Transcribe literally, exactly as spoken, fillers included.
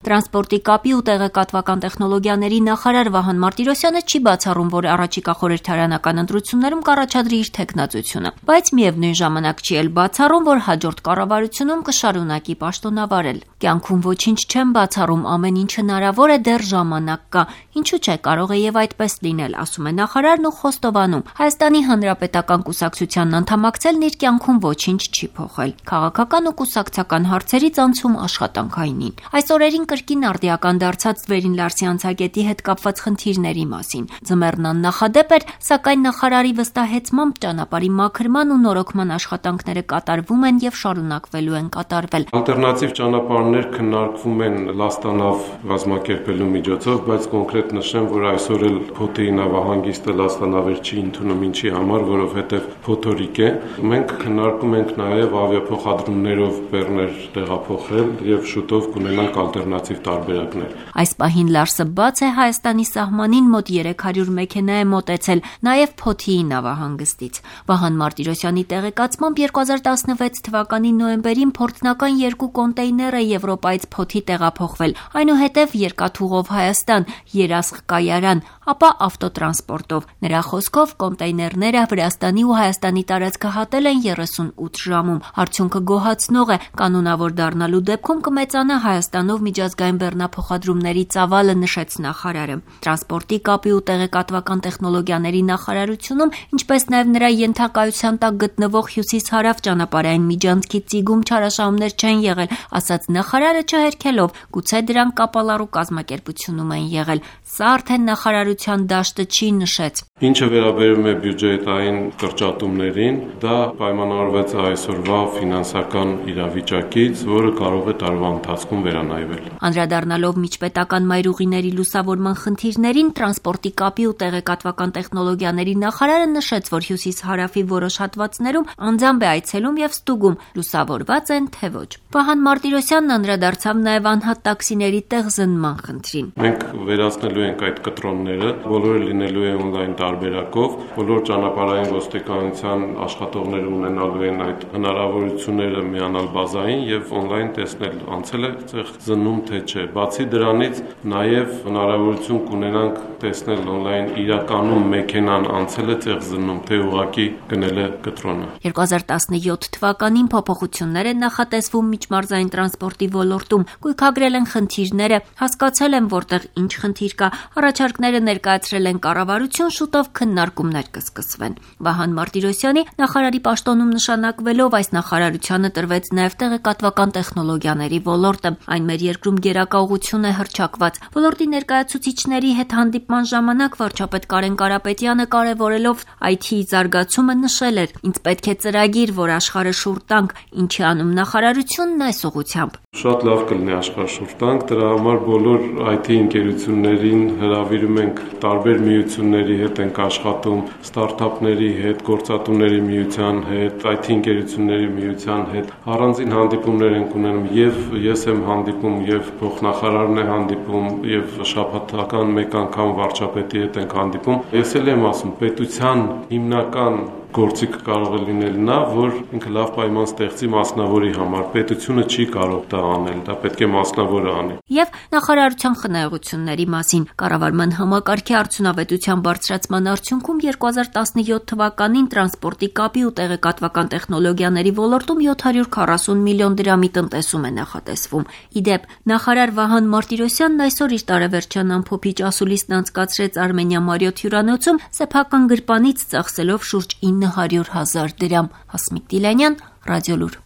Տրանսպորտի կապի ու տեղեկատվական տեխնոլոգիաների նախարար Վահան Մարտիրոսյանը չի բացառում, որ առաջիկա խորհրդարանական ընտրություններում կառաջադրի իր թեկնածությունը, բայց միևնույն ժամանակ չի էլ բացառում, որ հաջորդ կառավարությունում կշարունակի պաշտոնավարել։ Կյանքում ոչինչ չեմ բացառում, ամեն ինչ հնարավոր է, դեռ ժամանակ կա, ինչու՞ չէ, կարող է եւ այդպես լինել, ասում է նախարարն ու խոստովանում։ Հայաստանի Հանրապետական կուսակցությանն անդամակցելն իր կյանքում ոչինչ չի փոխել։ Քաղաքական ու կուսակցական հարցերից անցում աշխատանքայինին։ Այս օրերին կրկին արդիական դարձած Վերին Լարսի հետ կապված խնդիրների մասին։ Ձմեռն աննախադեպ էր, սակայն նախարարի վստահեցմամբ ճանապարհի մաքրման ու նորոգման աշխատանքները կատարվում են եւ շարունակվելու են կատարվել։ Ալտերնատիվ ճանապարհներ քննարկվում են Լաստանավ կազմակերպելու միջոցով, բայց կոնկրետ նշեմ, որ այսօր էլ Փոթեի նավահանգիստը Լաստանավեր չի ընդունում, ինչի համար, որովհետեւ փոթորիկ է։ Մենք քննարկում ենք նաեւ ավիափոխադրումներով բեռներ տեղափոխել եւ շուտով կունենանք ալտերնատիվ տարբերակներ։ Այս պահին Լարսը բաց է, Հայաստանի սահմանին մոտ երեք հարյուր մեքենա է մոտեցել, նաեւ Փոթեի նավահանգստից։ Վահան Մարտիրոսյանի տեղեկացմամբ երկու հազար տասնվեց թվականի նոյեմբերին փորձնական երկու կոնտեյներ է Եվրոպայից Փոթի տեղափոխվել, այնուհետև երկաթուղով Հայաստան, Երասխ կայարան, ապա ավտոտրանսպորտով։ Նրա խոսքով կոնտեյներները Վրաստանի ու Հայաստանի տարածքը հատել են երեսունութ ժամում։ Արդյունքը գոհացնող է, կանոնավոր դառնալու դեպքում կմեծանա Հայաստանով միջազգային բեռնափոխադրումների ծավալը, նշեց նախարարը։ Տրանսպորտի կապի ու տեղեկատվական տեխնոլոգիաների նախարարությունում, ինչպես նաև նրա ենթակայության տակ գտնվող հյուսիս-հարավ ճանապարհային միջանցքի ծիգում չարաշահումներ չեն եղել, ասաց նախարարը չհերքելով, գուցե դրանք կապալառու կազմակերպությունում են եղել։ Սա արդեն նախարարության դաշտը չի, նշեց։ Ինչը վերաբերում է բյուջետային կրճատումներին, դա պայմանավորված է այսօրվա ֆինանսական իրավիճակից, որը կարող է տարվա ընթացքում վերանայվել։ Անդրադառնալով միջպետական մայրուղիների լուսավորման խնդիրներին, տրանսպորտի կապի ու տեղեկատվական տեխնոլոգիաների նախարարը նշեց, որ հյուսիս-հարավի որոշ հատվածներում անձամբ է այցելում եւ ստուգում, լուսավորված են թե ոչ։ Վահան Մարտիրոսյանն անդրադարձավ նաեւ անհատ տաքսիների տեղզնման խնդրին։ Մենք վերացնելու ենք այդ կտրոնները, բոլորը լինելու է օնլայն տարբերակով, բոլոր ճանապարհային ոստիկանության աշխատողները ունենալու են այդ հնարավորությունները միանալ բազային եւ օնլայն տեսնել անցել է ցեղ զննում թե չէ։ Բացի դրանից նաեւ հնարավորություն կունենանք տեսնել օնլայն իրականում մեքենան անցել է ցեղ զննում թե ուղակի գնել է կտրոնը։ երկու հազար տասնյոթ թվականին փոփոխություններ են նախատեսվում միջմարզային տրանսպորտի ոլորտում, գույքագրել են խնդիրները, հասկացել են որտեղ ինչ խնդիր կա, առաջարկները ներկայացրել են կառավարություն, շուտով քննարկումներ կսկսվեն։ Վահան Մարտիրոսյանի նախարարի պաշտոնում նշանակվելով այս նախարարությանը տրվեց նաև տեղեկատվական տեխնոլոգիաների ոլորտը։ Այն մեր երկրում գերակա ուղղություն է հռչակված։ Ոլորտի ներկայացուցիչների հետ հանդիպման ժամանակ վարչապետ Կարեն Կարապետյանը կարևորելով այ թի զարգացումը նշել էր. «Ինձ պետք է ծրագիր, որ աշխարհը շուռ տանք, ինչի անում նախարարությունն այս ուղղությամբ»։ Շատ լավ կլինի աշխարհ շուռ տանք, դրա համար բոլոր այ թի ընկերություններին հրավիրում ենք, տարբեր միությունների հետ ենք աշխատում, ստարտափների հետ, գործատուների միության հետ, այ թի ընկերությունների միության հետ։ Առանձին հանդիպումներ ենք ունենում, եւ ես եմ հանդիպում, եւ փոխնախարարն է հանդիպում, եւ շաբաթական մեկ անգամ վարչապետի հետ ենք հանդիպում։ Ես էլ եմ ասում, պետության հիմնական գործիքը կարող է լինել նա, որ ինքը լավ պայման ստեղծի մասնավորի համար։ Պետությունը չի կարող դա անել, դա պետք է մասնավորը անի։ Եվ նախարարության խնայողությունների մասին կառավարման համակարգի արդյունավետության բարձրացման արդյունքում երկու հազար տասնյոթ թվականին տրանսպորտի կապի ու տեղեկատվական տեխնոլոգիաների ոլորտում յոթ հարյուր քառասուն միլիոն դրամի տնտեսում է նախատեսվում։ Իդեպ, նախարար Վահան Մարտիրոսյանն այսօր իր տարեվերջյան ամփոփիչ ասուլիսն անցկացրեց Արմենիա Մարիոթ հյուրանոցում սեփական գրպանից ծախսելով շուրջ ինը հարյուր հազար դրամ։ Հասմիկ Տիլյանյան, Ռադիոլուր։